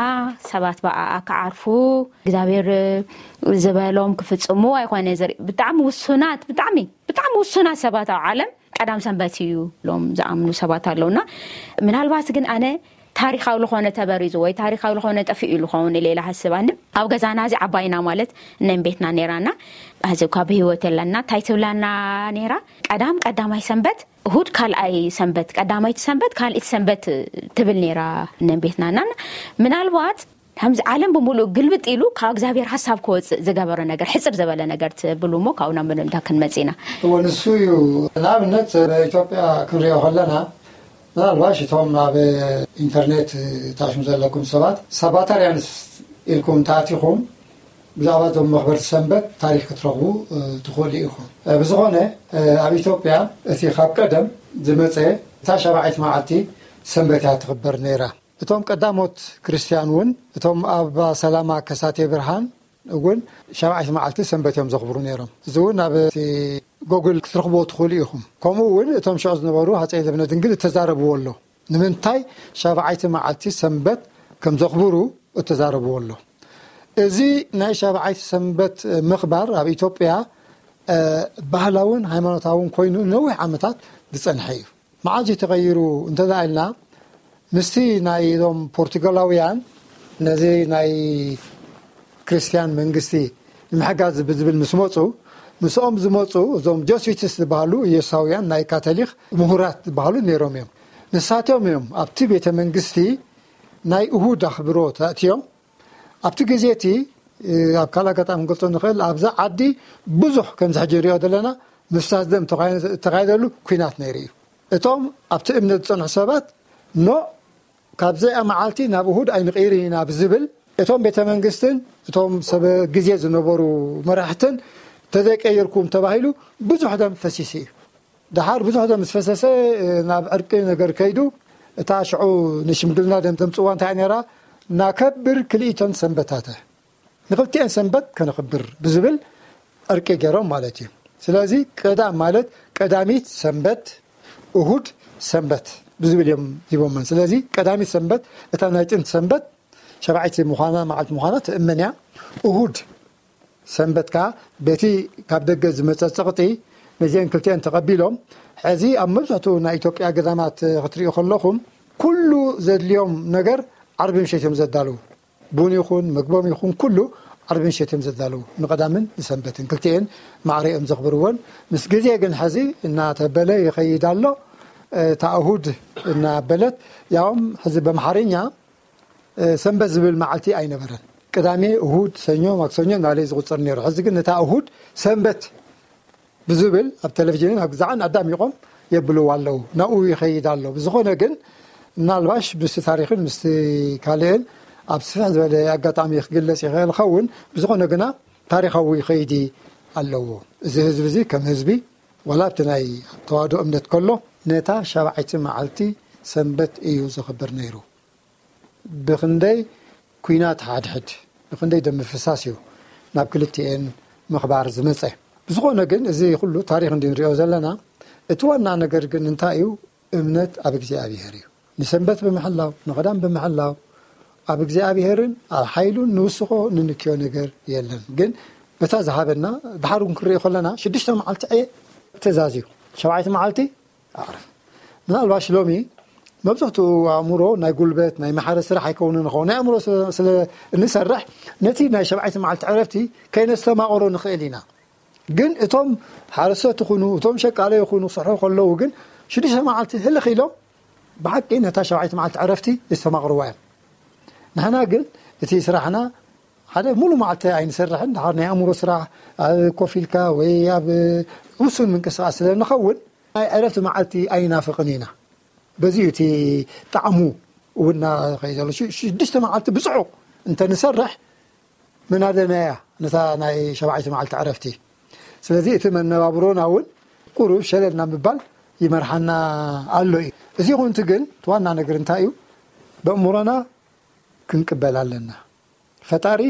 ሰባት ብኣኣ ክዓርፉ፣ እግዚኣብሔር፣ እ፣ ዝበሎም ክፍጽሙ ኣይኮነ ዘርኢ፣ ብጣዕሚ ውሱናት፣ ብጣዕሚ፣ ብጣዕሚ ውሱናት ሰባት ኣብ ዓለም ቀዳም ሰንበት እዩ ኢሎም ዝኣምኑ ሰባት ኣለውና፣ ምናልባት ግን ኣነ ታሪኻዊ ዝኾነ ተበሪዙ ወይ ታሪኻዊ ዝኾነ ጠፊኡ ኢሉ ኸውን ኢለ ኢለ ሃስብ። ኣነ ኣብ ገዛና እዚ ዓባይና ማለት እነን ቤትና ነይራና፣ ሕዚ እኳ ብህይወት የለና። እንታይ ትብላና ነይራ? ቀዳም ቀዳማይ ሰንበት፣ እሁድ ካልኣይ ሰንበት፣ ቀዳማይቲ ሰንበት፣ ካልኣይቲ ሰንበት ትብል ነይራ እነን ቤትናና። ምናልባት ከምዚ ዓለም ብምሉእ ግልብጥ ኢሉ ካብ እግዚኣብሔር ሓሳብ ክወፅእ ዝገበረ ነገር፣ ሕፅር ዝበለ ነገር ትብሉ እሞ ካብኡ ናብ ምድምዳም ክንመጽእ ኢና። እወ፣ ንሱ እዩ። ንኣብነት፣ ኣብ ኢትዮጵያ ክንሪኦ ከለና፣ ምናልባሽ እቶም ኣብ ኢንተርኔት ታሽሙ ዘለኩም ሰባት ሳባታርያንስ ኢልኩም እንተኣቲኹም፣ ብዛዕባ እዞም መኽበርቲ ሰንበት ታሪኽ ክትረኽቡ፣ እ፣ ትኽእሉ ኢኹም። እ፣ ብዝኾነ፣ እ፣ ኣብ ኢትዮጵያ እቲ ካብ ቀደም ዝመጸ እታ ሻብዓይቲ መዓልቲ ሰንበት እያ ትኽበር ነይራ። እቶም ቀዳሞት ክርስትያን እውን፣ እቶም ኣባ ሰላማ ከሳቴ ብርሃን እውን ሻብዓይቲ መዓልቲ ሰንበት እዮም ዘኽብሩ ነይሮም። እዚ እውን ኣብ እቲ ጎግል ክትረኽብዎ ትኽእሉ ኢኹም። ከምኡ እውን እቶም ሽዑ ዝነበሩ ሃፀይ ልብነ ድንግል እተዛረብዎ ኣሎ። ንምንታይ ሻብዓይቲ መዓልቲ ሰንበት ከም ዘኽብሩ እተዛረብዎ ኣሎ። እዚ ናይ ሻብዓይቲ ሰንበት ምኽባር ኣብ ኢትዮጵያ፣ እ፣ ባህላውን ሃይማኖታውን ኮይኑ ነዊሕ ዓመታት ዝጸንሐ እዩ። መዓዝ እዩ ተቐይሩ እንተ ደኣ ኢልና፣ ምስቲ ናይ እዞም ፖርቱጋላውያን ነዚ ናይ ክርስትያን መንግስቲ ንምሕጋዝ ብዝብል ምስ መጹ፣ ምስኦም ዝመጹ እዞም ጀስዊትስ ዝበሃሉ ኢየሱሳውያን ናይ ካቶሊክ ምሁራት ዝበሃሉ ነይሮም እዮም። ንሳቶም እዮም ኣብቲ ቤተ መንግስቲ ናይ እሁድ ኣኽብሮት ኣእትዮም። ኣብቲ ግዜ እቲ፣ እ፣ ኣብ ካልእ ኣጋጣሚ ክንገልጾ ንኽእል፣ ኣብዛ ዓዲ ብዙሕ ከምዚ ሕጂ ንሪኦ ዘለና ምፍሳስ ደም ተኻይ-፣ ተኻይደሉ ኲናት ነይሩ እዩ። እቶም ኣብቲ እምነት ዝጸንሑ ሰባት፣ ኖ፣ ካብዚኣ መዓልቲ ናብ እሁድ ኣይንቕይርን ኢና ብዝብል፣ እቶም ቤተ መንግስትን እቶም ሰብ ግዜ ዝነበሩ መራሕትን ተዘይቀይርኩም ተባሂሉ ብዙሕ ደም ፈሲሱ እዩ። ደሓር ብዙሕ ደም ምስ ፈሰሰ፣ ናብ ዕርቂ ነገር ከይዱ፣ እታ ሽዑ ንሽምግልና ደም ተምጽዋ እንታይ ነይራ? ናከብር ክልኢተን ሰንበታተ፣ ንክልቲኤን ሰንበት ከነኽብር ብዝብል ዕርቂ ገይሮም ማለት እዩ። ስለዚ ቀዳም ማለት ቀዳሚት ሰንበት፣ እሁድ ሰንበት ብዝብል እዮም ሂቦመን። ስለዚ ቀዳሚት ሰንበት እታ ናይ ጥንቲ ሰንበት ሸባዒቲ ምዃና፣ መዓልቲ ምዃና ትእመን እያ። እሁድ ሰንበት ከኣ በቲ ካብ ደገ ዝመጸ ጸቕጢ ነዚአን ክልቲአን ተቐቢሎም። ሕዚ ኣብ መብዛሕትኡ ናይ ኢትዮጵያ ገዳማት ክትሪኡ ከለኹም ኩሉ ዘድልዮም ነገር ዓርቢ ምሸት እዮም ዘዳልዉ። ቡን ይኹን ምግቦም ይኹን ኩሉ ዓርቢ ምሸት እዮም ዘዳልዉ፣ ንቐዳምን ንሰንበትን ክልቲኤን ማዕረ እዮም ዘኽብርወን። ምስ ግዜ ግን ሕዚ እናተበለ ይኸይድ ኣሎ። እታ እሁድ እናበለት፣ ያውም ሕዚ በምሓርኛ ሰንበት ዝብል መዓልቲ ኣይነበረን። ቅዳሜ፣ እሁድ፣ ሰኞ፣ ማክሰኞ እናበለ ዝቑጸር ነይሩ። ሕዚ ግን ነታ እሁድ ሰንበት ብዝብል ኣብ ቴሌቪዥንን ኣብ ግዛዕን ኣዳሚቖም የብልዋ ኣለዉ። ናብኡ ይኸይድ ኣሎ። ብዝኾነ ግን ምናልባሽ ምስቲ ታሪኽን ምስቲ ካልእን ኣብ ስፍሕ ዝበለ ኣጋጣሚ ክግለጽ ይኽእል ይኸውን። ብዝኾነ ግና ታሪኻዊ ከይዲ ኣለዎ። እዚ ህዝቢ እዚ ከም ህዝቢ ዋላ ኣብቲ ናይ ተዋህዶ እምነት ከሎ ነታ ሻብዓይቲ መዓልቲ ሰንበት እዩ ዘኽብር ነይሩ። ብኽንደይ ኲናት ሓድሕድ፣ ብኽንደይ ደም ምፍሳስ እዩ ናብ ክልቲኤን ምኽባር ዝመጸ። ብዝኾነ ግን እዚ ኩሉ ታሪኽ እንዲ ንሪኦ ዘለና፣ እቲ ዋና ነገር ግን እንታይ እዩ? እምነት ኣብ እግዚኣብሔር እዩ። ንሰንበት ብምሕላው፣ ንቐዳም ብምሕላው፣ ኣብ እግዚኣብሔርን ኣብ ሓይሉን ንውስኾ ንንክዮ ነገር የለን። ግን በታ ዝሃበና፣ ድሓር እውን ክንሪኦ ከለና፣ ሽዱሽተ መዓልቲ ዕየ ትእዛዝ እዩ። ሸብዓይቲ መዓልቲ ኣዕርፍ። ምናልባሽ ሎሚ መብዛሕትኡ ኣእምሮ ናይ ጉልበት፣ ናይ ማሕረስ ስራሕ ኣይከውንን ይኸውን። ናይ ኣእምሮ ስለ፣ ስለ እንሰርሕ፣ ነቲ ናይ ሸብዓይቲ መዓልቲ ዕረፍቲ ከይነስተማቕሮ ንኽእል ኢና። ግን እቶም ሓረስቶት ይኹኑ፣ እቶም ሸቃሎ ይኹኑ፣ ክሰርሑ ከለዉ ግን ሽዱሽተ መዓልቲ ህልኽ ኢሎም ብሓቂ ነታ ሸብዓይቲ መዓልቲ ዕረፍቲ የስተማቕርዋ እዮም። ንሕና ግን እቲ ስራሕና ሓደ ሙሉ መዓልቲ ኣይንሰርሕን፣ ድሓር ናይ ኣእምሮ ስራሕ ኣብ ኮፍ ኢልካ ወይ ኣብ ውሱን ምንቅስቃስ ስለ ንኸውን ናይ ዕረፍቲ መዓልቲ ኣይናፍቕን ኢና። በዚ እዩ እቲ ጣዕሙ እውን እናኸይድ ዘሎ። ሽ-፣ ሽዱሽተ መዓልቲ ብጽዑቕ እንተ ንሰርሕ ምናደና እያ ነታ ናይ ሸብዓይቲ መዓልቲ ዕረፍቲ። ስለዚ እቲ መነባብሮና እውን ቁሩብ ሸለል ናብ ምባል ይመርሓና ኣሎ እዩ። እዚ ይኹን እቲ ግን እቲ ዋና ነገር እንታይ እዩ? በእምሮና ክንቅበል ኣለና። ፈጣሪ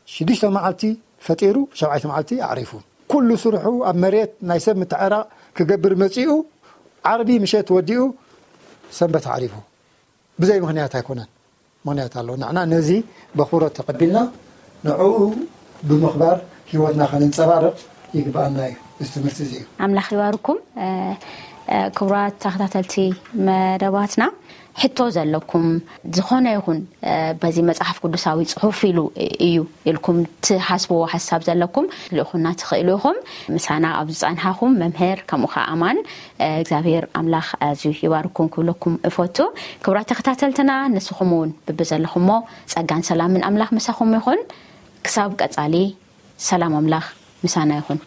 ሽዱሽተ መዓልቲ ፈጢሩ ሸብዓይቲ መዓልቲ ኣዕሪፉ። ኩሉ ስርሑ ኣብ መሬት ናይ ሰብ ምትዕራቕ ክገብር መጺኡ ዓርቢ ምሸት ወዲኡ ሰንበት ኣዕሪፉ። ብዘይ ምኽንያት ኣይኮነን። ምኽንያት ኣለዎ። ንሕና ነዚ በኽብሮት ተቐቢልና ንዕኡ ብምኽባር ህይወትና ከነንጸባርቕ ይግብኣና እዩ። እዚ ትምህርቲ እዚ እዩ። ኣምላኽ ይባርኩም። እ፣ እ፣ ክቡራት ተኸታተልቲ መደባትና፣ ሕቶ ዘለኩም፣ ዝኾነ ይኹን፣ እ፣ በዚ መጽሓፍ ቅዱሳዊ ጽሑፍ ኢሉ እዩ ኢልኩም ትሓስብዎ ሓሳብ ዘለኩም፣ ልእኹና ትኽእሉ ኢኹም። ምሳና ኣብ ዝጸንሓኹም መምህር፣ ከምኡ ኸዓ ኣማን፣ እ፣ እግዚኣብሔር ኣምላኽ ኣዝዩ ይባርኩም ክብለኩም እፈቱ። ክቡራት ተኸታተልትና፣ ንስኹም እውን ብብዘለኹሞ ጸጋን ሰላምን ኣምላኽ ምሳኹም ይኹን። ክሳብ ቀጻሊ፣ ሰላም ኣምላኽ ምሳና ይኹን።